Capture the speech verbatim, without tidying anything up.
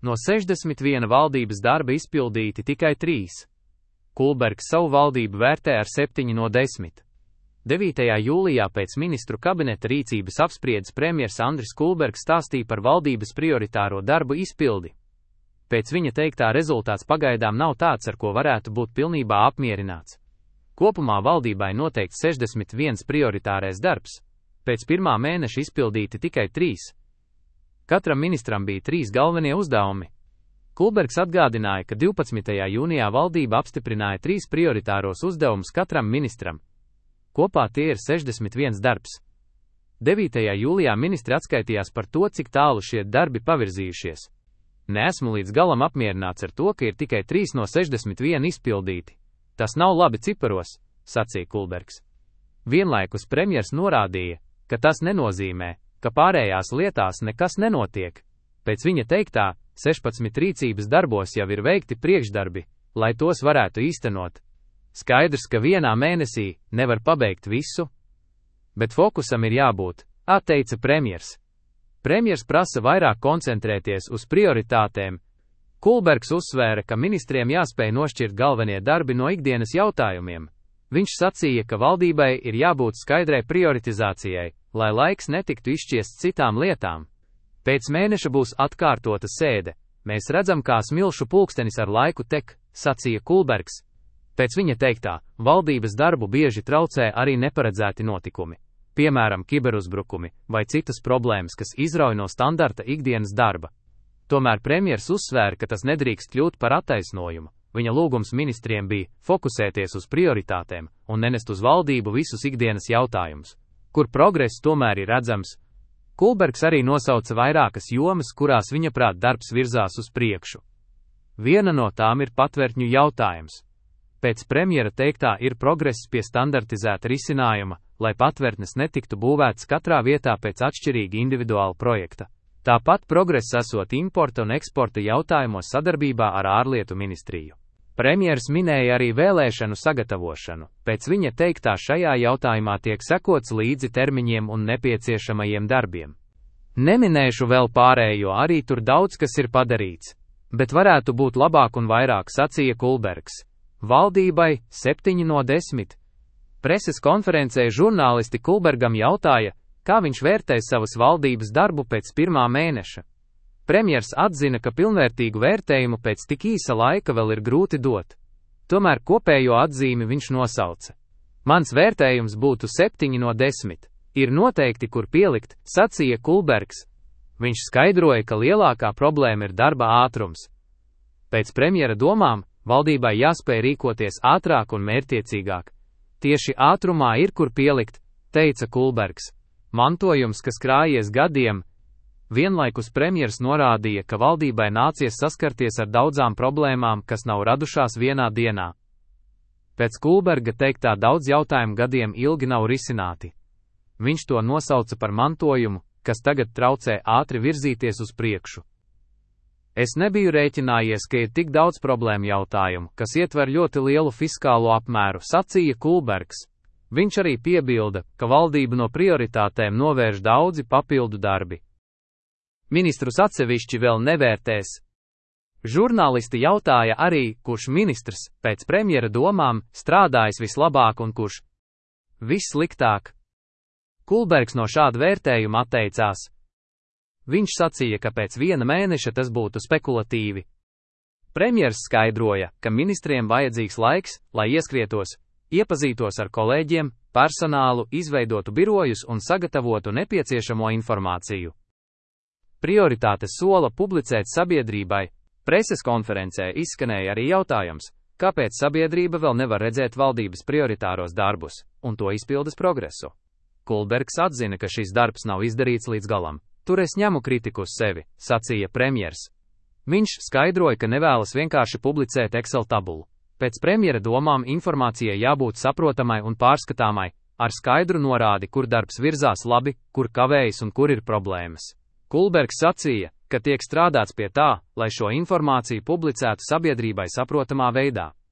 No sešdesmit viena valdības darba izpildīti tikai trīs. Kulbergs savu valdību vērtē ar septiņi no desmit. devītajā jūlijā pēc ministru kabineta rīcības apspriedes premjers Andris Kulbergs stāstīja par valdības prioritāro darbu izpildi. Pēc viņa teiktā rezultāts pagaidām nav tāds, ar ko varētu būt pilnībā apmierināts. Kopumā valdībai noteikts sešdesmit viens prioritārais darbs, pēc pirmā mēneša izpildīti tikai trīs. Katram ministram bija trīs galvenie uzdevumi. Kulbergs atgādināja, ka divpadsmitajā jūnijā valdība apstiprināja trīs prioritāros uzdevumus katram ministram. Kopā tie ir sešdesmit viens darbs. devītajā jūlijā ministri atskaitījās par to, cik tālu šie darbi pavirzījušies. Neesmu līdz galam apmierināts ar to, ka ir tikai trīs no sešdesmit viena izpildīti. Tas nav labi ciparos, sacīja Kulbergs. Vienlaikus premjers norādīja, ka tas nenozīmē, ka pārējās lietās nekas nenotiek. Pēc viņa teiktā, sešpadsmit rīcības darbos jau ir veikti priekšdarbi, lai tos varētu īstenot. Skaidrs, ka vienā mēnesī nevar pabeigt visu, bet fokusam ir jābūt, atteica premjers. Premjers prasa vairāk koncentrēties uz prioritātēm. Kulbergs uzsvēra, ka ministriem jāspēj nošķirt galvenie darbi no ikdienas jautājumiem. Viņš sacīja, ka valdībai ir jābūt skaidrai prioritizācijai, lai laiks netiktu izšķiests citām lietām. Pēc mēneša būs atkārtota sēde. Mēs redzam, kā smilšu pulkstenis ar laiku tek, sacīja Kulbergs. Pēc viņa teiktā, valdības darbu bieži traucē arī neparedzēti notikumi, piemēram, kiberuzbrukumi vai citas problēmas, kas izrauj no standarta ikdienas darba. Tomēr premjers uzsvēra, ka tas nedrīkst kļūt par attaisnojumu. Viņa lūgums ministriem bija fokusēties uz prioritātēm un nenest uz valdību visus ikdienas jautājumus, kur progress tomēr ir redzams. Kulbergs arī nosauca vairākas jomas, kurās viņa prāt darbs virzās uz priekšu. Viena no tām ir patvērtņu jautājums. Pēc premjera teiktā ir progress pie standartizēta risinājuma, lai patvērtnes netiktu būvētas katrā vietā pēc atšķirīga individuāla projekta. Tāpat progress esot importa un eksporta jautājumos sadarbībā ar ārlietu ministriju. Premjers minēja arī vēlēšanu sagatavošanu. Pēc viņa teiktā šajā jautājumā tiek sekots līdzi termiņiem un nepieciešamajiem darbiem. Neminēšu vēl pārējo, arī tur daudz kas ir padarīts, bet varētu būt labāk un vairāk, sacīja Kulbergs. Valdībai septiņi no desmit. Preses konferencē žurnālisti Kulbergam jautāja, kā viņš vērtē savas valdības darbu pēc pirmā mēneša. Premjers atzina, ka pilnvērtīgu vērtējumu pēc tik īsa laika vēl ir grūti dot. Tomēr kopējo atzīmi viņš nosauca. Mans vērtējums būtu septiņi no desmit. Ir noteikti, kur pielikt, sacīja Kulbergs. Viņš skaidroja, ka lielākā problēma ir darba ātrums. Pēc premjera domām, valdībai jāspēj rīkoties ātrāk un mērķtiecīgāk. Tieši ātrumā ir kur pielikt, teica Kulbergs. Mantojums, kas krājies gadiem. Vienlaikus premjers norādīja, ka valdībai nācies saskarties ar daudzām problēmām, kas nav radušās vienā dienā. Pēc Kulberga teiktā daudz jautājumu gadiem ilgi nav risināti. Viņš to nosauca par mantojumu, kas tagad traucē ātri virzīties uz priekšu. Es nebiju rēķinājies, ka ir tik daudz problēmu jautājumu, kas ietver ļoti lielu fiskālo apmēru, sacīja Kulbergs. Viņš arī piebilda, ka valdība no prioritātēm novērš daudzi papildu darbi. Ministrus atsevišķi vēl nevērtēs. Žurnālisti jautāja arī, kurš ministrs, pēc premjera domām, strādājis vislabāk un kurš vissliktāk. Kulbergs no šāda vērtējuma atteicās. Viņš sacīja, ka pēc viena mēneša tas būtu spekulatīvi. Premjers skaidroja, ka ministriem vajadzīgs laiks, lai ieskrietos, iepazītos ar kolēģiem, personālu, izveidotu birojus un sagatavotu nepieciešamo informāciju. Prioritātes sola publicēt sabiedrībai. Preses konferencē izskanēja arī jautājums, kāpēc sabiedrība vēl nevar redzēt valdības prioritāros darbus un to izpildes progresu. Kulbergs atzina, ka šis darbs nav izdarīts līdz galam. Tur es ņemu kritiku uz sevi, sacīja premjers. Viņš skaidroja, ka nevēlas vienkārši publicēt Excel tabulu. Pēc premjera domām informācijai jābūt saprotamai un pārskatāmai, ar skaidru norādi, kur darbs virzās labi, kur kavējas un kur ir problēmas. Kulbergs sacīja, ka tiek strādāts pie tā, lai šo informāciju publicētu sabiedrībai saprotamā veidā.